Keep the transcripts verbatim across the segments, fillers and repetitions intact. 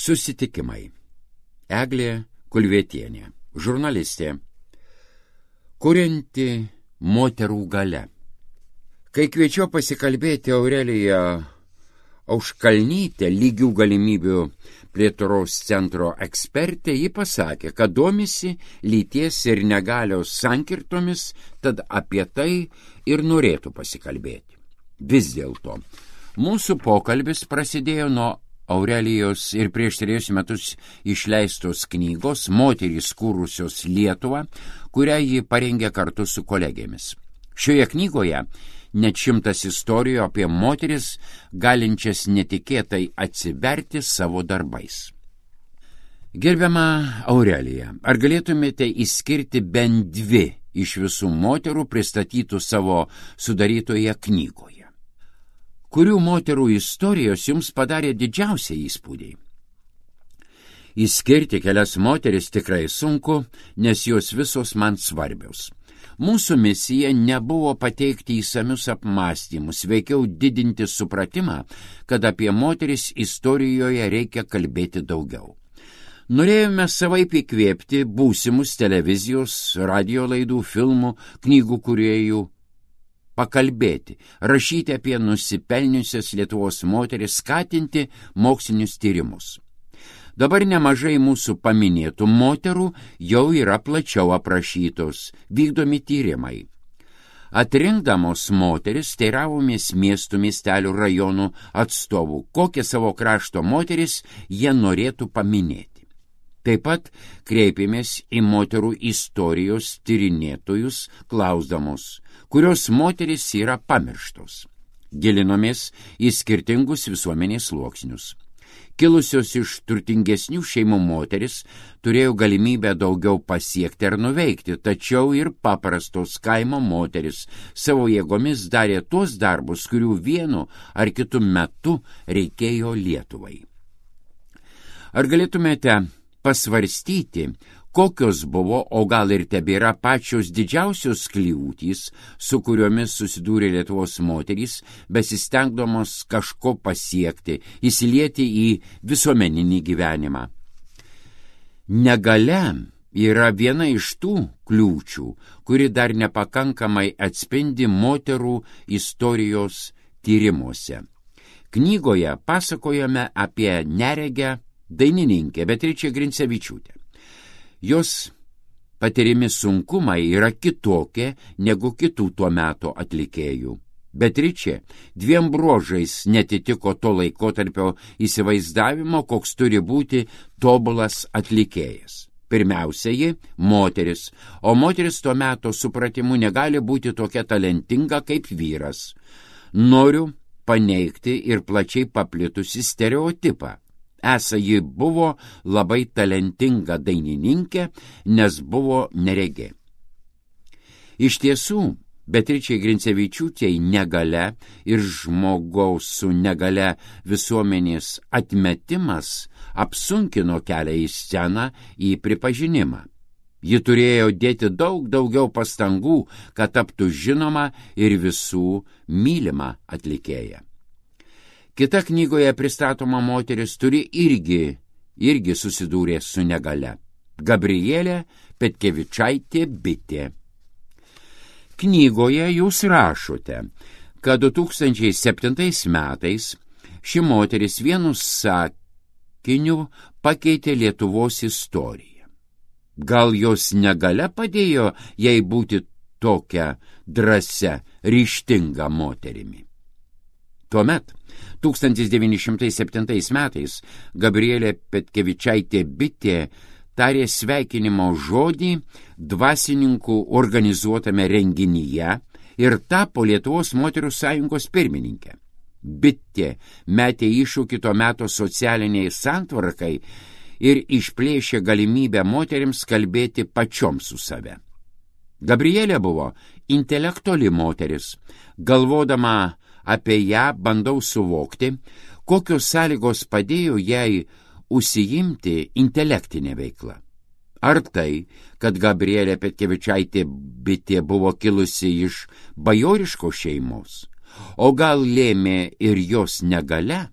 Susitikimai. Eglė Kulvietienė, žurnalistė, kurianti moterų galia. Kai kviečiau pasikalbėti Aureliją Auškalnytę, lygių galimybių plėtros centro ekspertė, ji pasakė, kad domisi lyties ir negalios sankirtomis, tad apie tai ir norėtų pasikalbėti. Vis dėlto, mūsų pokalbis prasidėjo nuo Aurelijos ir prieš trejus metus išleistos knygos Moterys kūrusios Lietuvą, kurią ji parengė kartu su kolegėmis. Šioje knygoje net šimtas istorijų apie moteris, galinčias netikėtai atsiverti savo darbais. Gerbiama Aurelija, ar galėtumėte išskirti bent dvi iš visų moterų pristatytų savo sudarytoje knygoje? Kurių moterų istorijos jums padarė didžiausią įspūdį? Išskirti kelias moteris tikrai sunku, nes jos visos man svarbios. Mūsų misija nebuvo pateikti įsamius apmąstymus, veikiau didinti supratimą, kad apie moteris istorijoje reikia kalbėti daugiau. Norėjome savaip įkvėpti būsimus televizijos, radio laidų, filmų, knygų kūrėjų, pakalbėti, rašyti apie nusipelniusias Lietuvos moteris, skatinti mokslinius tyrimus. Dabar nemažai mūsų paminėtų moterų jau yra plačiau aprašytos, vykdomi tyrimai. Atrinkdamos moteris teiravomės miestų, miestelių, rajonų atstovų, kokią savo krašto moteris jie norėtų paminėti. Taip pat kreipėmės į moterų istorijos tyrinėtojus, klausdamos, kurios moteris yra pamirštos. Gilinomės į skirtingus visuomenės sluoksnius. Kilusios iš turtingesnių šeimų moteris turėjo galimybę daugiau pasiekti ar nuveikti, tačiau ir paprastos kaimo moteris savo jėgomis darė tuos darbus, kurių vienu ar kitu metu reikėjo Lietuvai. Ar galėtumėte pasvarstyti, kokios buvo, o gal ir tebėra pačios didžiausios kliūtys, su kuriomis susidūrė Lietuvos moterys, besistengdamos kažko pasiekti, įsilieti į visuomeninį gyvenimą? Negalia yra viena iš tų kliūčių, kuri dar nepakankamai atspindi moterų istorijos tyrimuose. Knygoje pasakojame apie neregę dainininkę Beatričę Grincevičiūtę. Jos patirimi sunkumai yra kitokie negu kitų tuo meto atlikėjų. Beatričė dviem bruožais netitiko to laikotarpio įsivaizdavimo, koks turi būti tobulas atlikėjas. Pirmiausia, ji moteris, o moteris tuo meto supratimu negali būti tokia talentinga kaip vyras. Noriu paneigti ir plačiai paplitusi stereotipą. Esą ji buvo labai talentinga dainininkė, nes buvo neregė. Iš tiesų, Beatričei Grincevičiūtei negalia ir žmogaus su negalia visuomenės atmetimas apsunkino kelią į sceną, į pripažinimą. Ji turėjo dėti daug daugiau pastangų, kad taptų žinoma ir visų mylima atlikėja. Kita knygoje pristatoma moteris turi irgi, irgi susidūrė su negalia. Gabrielė Petkevičaitė Bitė. Knygoje jūs rašote, kad du tūkstančiai septintais metais ši moteris vienu sakiniu pakeitė Lietuvos istoriją. Gal jos negalia padėjo jai būti tokia drąsia, ryžtinga moterimi? Tuomet, tūkstantis devyni šimtai septintais metais, Gabrielė Petkevičaitė Bitė tarė sveikinimo žodį dvasininkų organizuotame renginyje ir tapo Lietuvos moterų sąjungos pirmininkė. Bitė metė iššūkį to meto socialiniai santvarkai ir išplėšė galimybę moterims kalbėti pačioms su save. Gabrielė buvo intelektuali moteris. Galvodama apie ją bandau suvokti, kokios sąlygos padėjo jai užsiimti intelektinę veiklą. Ar tai, kad Gabrielė Petkevičaitė Bitė buvo kilusi iš bajoriškos šeimos, o gal lėmė ir jos negalia?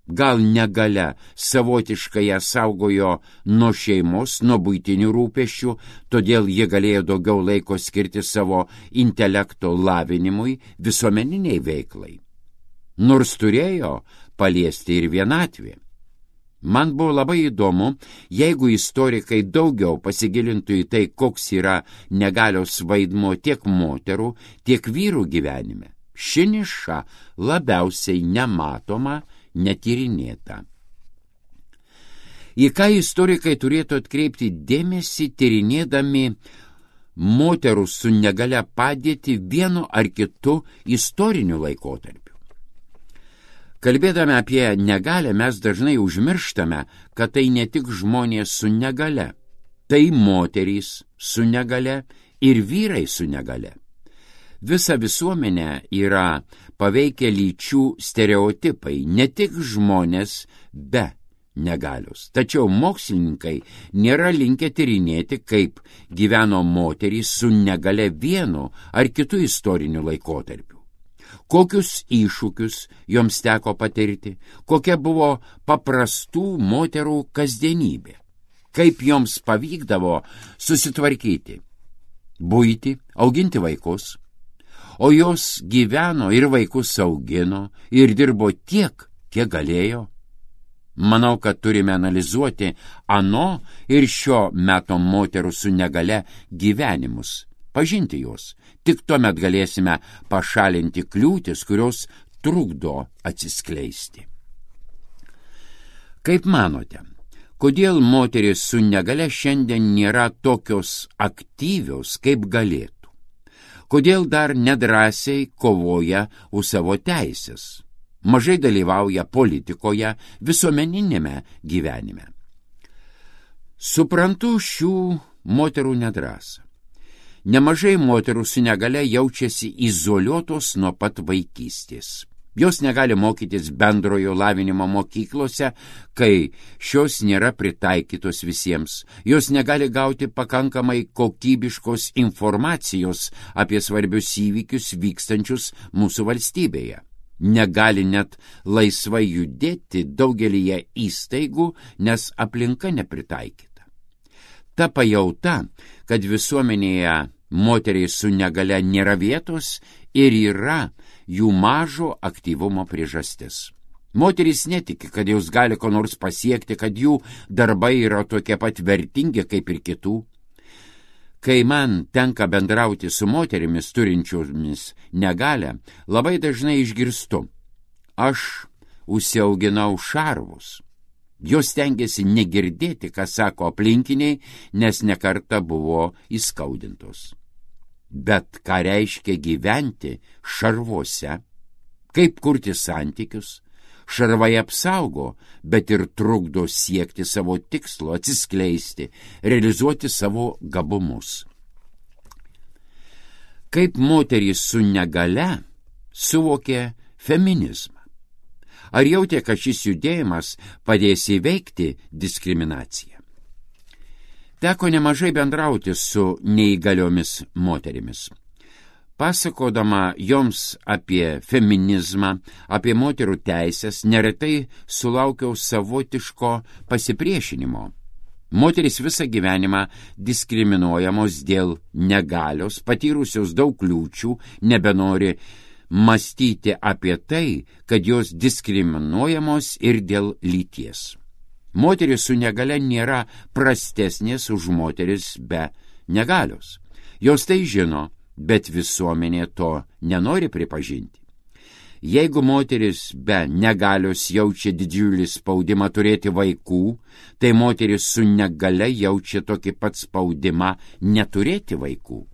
Gal negalia savotiškai ją saugojo nuo šeimos, nuo buitinių rūpesčių, todėl ji galėjo daugiau laiko skirti savo intelekto lavinimui, visuomeniniai veiklai. Nors turėjo paliesti ir vienatvė. Man buvo labai įdomu, jeigu istorikai daugiau pasigilintų į tai, koks yra negalios vaidmuo tiek moterų, tiek vyrų gyvenime. Ši niša labiausiai nematoma, netyrinėta. Į ką istorikai turėtų atkreipti dėmesį, tyrinėdami moterų su negalia padėtį vienu ar kitu istoriniu laikotarpiu. Kalbėdami apie negalią, mes dažnai užmirštame, kad tai ne tik žmonės su negalia, tai moterys su negalia ir vyrai su negalia. Visa visuomenė yra paveikę lyčių stereotipai, ne tik žmonės be negalios. Tačiau mokslininkai nėra linkę tyrinėti, kaip gyveno moterys su negalia vienu ar kitu istoriniu laikotarpiu. Kokius iššūkius joms teko patirti, kokia buvo paprastų moterų kasdienybė, kaip joms pavykdavo susitvarkyti, buitį, auginti vaikus, o jos gyveno ir vaikus augino ir dirbo tiek, kiek galėjo. Manau, kad turime analizuoti ano ir šio meto moterų su negalia gyvenimus, pažinti juos. Tik tuomet galėsime pašalinti kliūtis, kurios trukdo atsiskleisti. Kaip manote, kodėl moterys su negalia šiandien nėra tokios aktyvios, kaip galėtų? Kodėl dar nedrąsiai kovoja už savo teisės? Mažai dalyvauja politikoje, visuomeninėme gyvenime. Suprantu šių moterų nedrąsą. Nemažai moterų su negalia jaučiasi izoliuotos nuo pat vaikystės. Jos negali mokytis bendrojo lavinimo mokyklose, kai šios nėra pritaikytos visiems. Jos negali gauti pakankamai kokybiškos informacijos apie svarbius įvykius vykstančius mūsų valstybėje. Negali net laisvai judėti daugelyje įstaigų, nes aplinka nepritaikyta. Ta pajauta, kad visuomenėje moteriai su negalia nėra vietos ir yra jų mažo aktyvumo priežastis. Moterys netiki, kad jos gali ko nors pasiekti, kad jų darbai yra tokie pat vertingi kaip ir kitų. Kai man tenka bendrauti su moterimis turinčiomis negalią, labai dažnai išgirstu: aš užsiauginau šarvus. Jos stengiasi negirdėti, ką sako aplinkiniai, nes nekarta buvo įskaudintos. Bet ką reiškia gyventi šarvuose? Kaip kurti santykius? Šarvai apsaugo, bet ir trukdo siekti savo tikslo, atsiskleisti, realizuoti savo gabumus. Kaip moterys su negalia suvokė feminizmą? Ar jautė, kad šis judėjimas padės įveikti diskriminaciją? Teko nemažai bendrauti su neįgaliomis moterimis. Pasakodama joms apie feminizmą, apie moterų teisės, neretai sulaukiau savotiško pasipriešinimo. Moterys visą gyvenimą diskriminuojamos dėl negalios, patyrusios daug kliūčių, nebenori mąstyti apie tai, kad jos diskriminuojamos ir dėl lyties. Moteris su negalia nėra prastesnės už moteris be negalios. Jos tai žino, bet visuomenė to nenori pripažinti. Jeigu moteris be negalios jaučia didžiulį spaudimą turėti vaikų, tai moteris su negalia jaučia tokį pat spaudimą neturėti vaikų.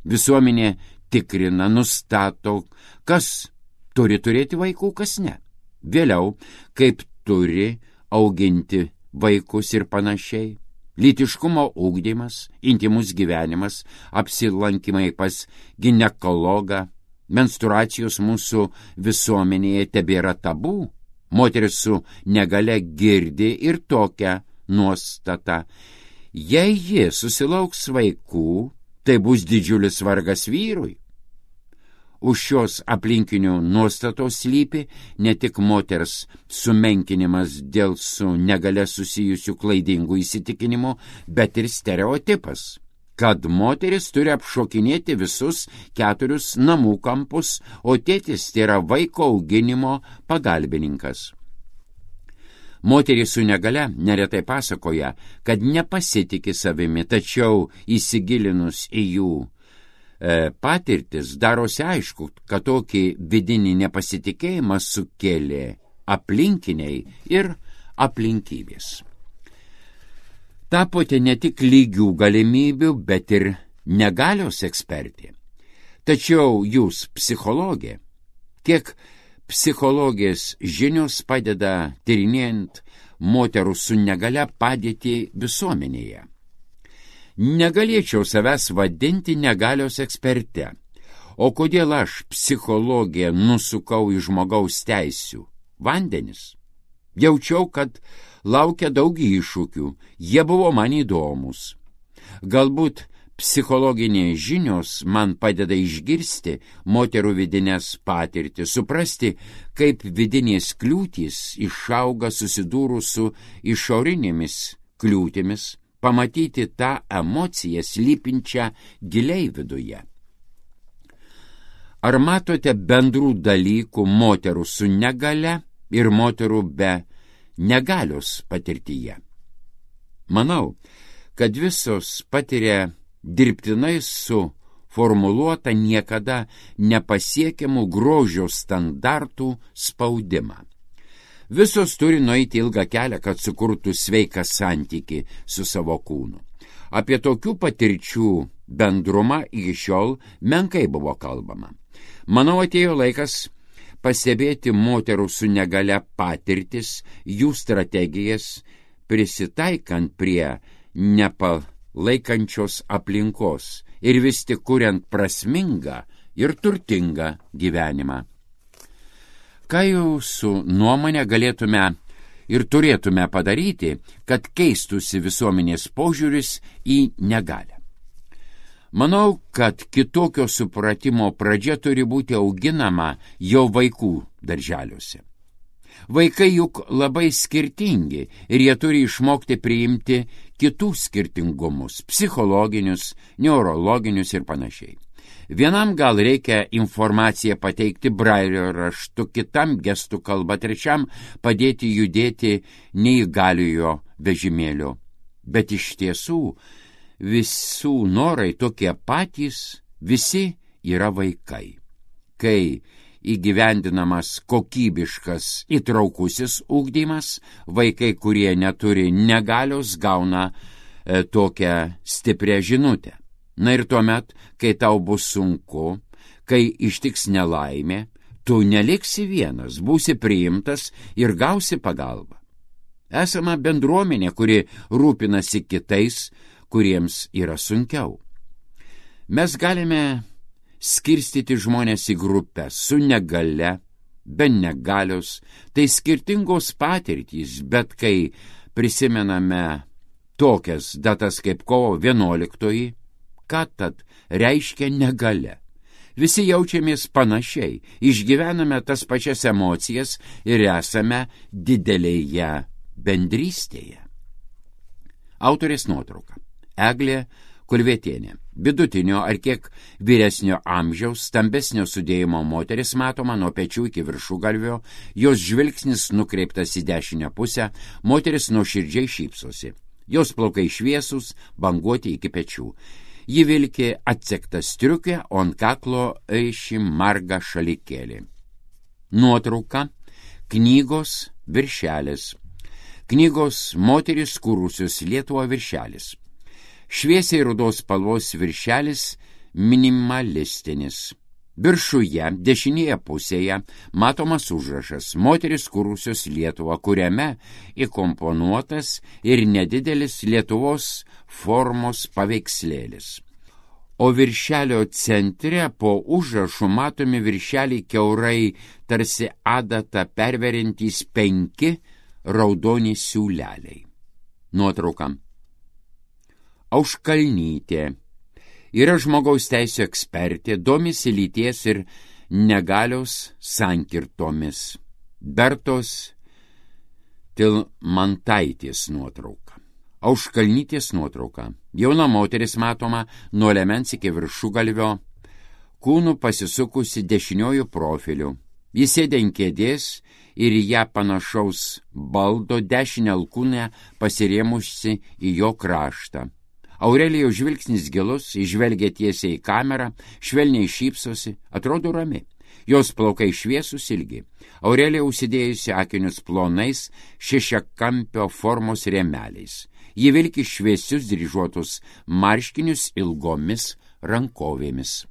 Visuomenė tikrina, nustato, kas turi turėti vaikų, kas ne. Vėliau, kaip turi auginti vaikus ir panašiai. Lytiškumo ugdymas, intymus gyvenimas, apsilankymai pas ginekologą, menstruacijos mūsų visuomenėje tebėra tabų. Moteris su negalia girdi ir tokią nuostatą: jei ji susilauks vaikų, tai bus didžiulis vargas vyrui. Už šios aplinkinių nuostatos slypi ne tik moters sumenkinimas dėl su negale susijusių klaidingų įsitikinimų, bet ir stereotipas, kad moteris turi apšokinėti visus keturius namų kampus, o tėtis tai yra vaiko auginimo pagalbininkas. Moterys su negale neretai pasakoja, kad nepasitiki savimi, tačiau įsigilinus į jų patirtis darosi aišku, kad tokį vidinį nepasitikėjimą sukėlė aplinkiniai ir aplinkybės. Tapote ne tik lygių galimybių, bet ir negalios ekspertė. Tačiau jūs psichologė. Kiek psichologės žinios padeda tyrinėjant moterų su negale padėtį visuomenėje. Negalėčiau savęs vadinti negalios eksperte. O kodėl aš, psichologė, nusukau į žmogaus teisių vandenis? Jaučiau, kad laukia daug iššūkių, jie buvo man įdomus. Galbūt psichologinės žinios man padeda išgirsti moterų vidinės patirtis, suprasti, kaip vidinės kliūtys išauga susidūrus su išorinėmis kliūtimis, pamatyti tą emociją slypinčią giliai viduje. Ar matote bendrų dalykų moterų su negale ir moterų be negalios patirtyje? Manau, kad visos patiria dirbtinai suformuluotą niekada nepasiekiamų grožio standartų spaudimą. Visos turi nueiti ilgą kelią, kad sukurtų sveiką santykį su savo kūnu. Apie tokių patirčių bendrumą iki šiol menkai buvo kalbama. Manau, atėjo laikas pastebėti moterų su negale patirtis, jų strategijas, prisitaikant prie nepalaikančios aplinkos ir vis tik kuriant prasmingą ir turtingą gyvenimą. Ką jūsų nuomonė galėtume ir turėtume padaryti, kad keistųsi visuomenės požiūris į negalią? Manau, kad kitokio supratimo pradžia turi būti auginama jau vaikų darželiuose. Vaikai juk labai skirtingi ir jie turi išmokti priimti kitų skirtingumus, psichologinius, neurologinius ir panašiai. Vienam gal reikia informaciją pateikti brailio raštu, kitam gestų kalba, trečiam padėti judėti neįgaliojo vežimėlio. Bet iš tiesų visų norai tokie patys, visi yra vaikai. Kai įgyvendinamas kokybiškas įtraukusis ugdymas, vaikai, kurie neturi negalios, gauna e, tokią stiprią žinutę. Na ir tuomet, kai tau bus sunku, kai ištiks nelaimė, tu neliksi vienas, būsi priimtas ir gausi pagalbą. Esama bendruomenė, kuri rūpinasi kitais, kuriems yra sunkiau. Mes galime skirstyti žmonės į grupės su negale, be negalios, tai skirtingos patirtys, bet kai prisimename tokias datas kaip kovo vienuoliktoji, ką tad reiškia negalia? Visi jaučiamės panašiai, išgyvename tas pačias emocijas ir esame didelėje bendrystėje. Autorės nuotrauka. Eglė Kulvietienė. Vidutinio ar kiek vyresnio amžiaus, stambesnio sudėjimo moteris matoma nuo pečių iki viršugalvio, jos žvilgsnis nukreiptas į dešinę pusę, moteris nuoširdžiai šypsosi. Jos plaukai šviesūs, banguoti iki pečių. Ji vilki atsektą striukę, o ant kaklo aiši marga šalikėlį. Nuotrauka. Knygos viršelis. Knygos Moterys kūrusios Lietuvą viršelis. Šviesiai rudos spalvos viršelis minimalistinis. Viršuje, dešinėje pusėje, matomas užrašas Moterys kūrusios Lietuvą, kuriame įkomponuotas ir nedidelis Lietuvos formos paveikslėlis. O viršelio centre po užrašu matomi viršelį kiaurai tarsi adatą perveriantys penki raudoni siūleliai. Nuotrauka. Auškalnytė. Yra žmogaus teisų ekspertė, domisi lyties ir negalios sankirtomis. Bertos Tilmantaitės nuotrauka. Auškalnytės nuotrauka. Jauna moteris matoma nuo liemens iki viršugalvio, kūnų pasisukusi dešiniojų profiliu. Jis sėdė ant kėdės ir į ją panašaus baldo dešinę alkūnę pasirėmusi į jo kraštą. Aurelijaus žvilgsnis gilus, įžvelgia tiesiai į kamerą, švelniai šypsosi, atrodo rami. Jos plaukai šviesus ilgi. Aurelija užsidėjusi akinius plonais šešiakampio formos rėmeliais. Ji vilki šviesius dryžuotus marškinius ilgomis rankovėmis.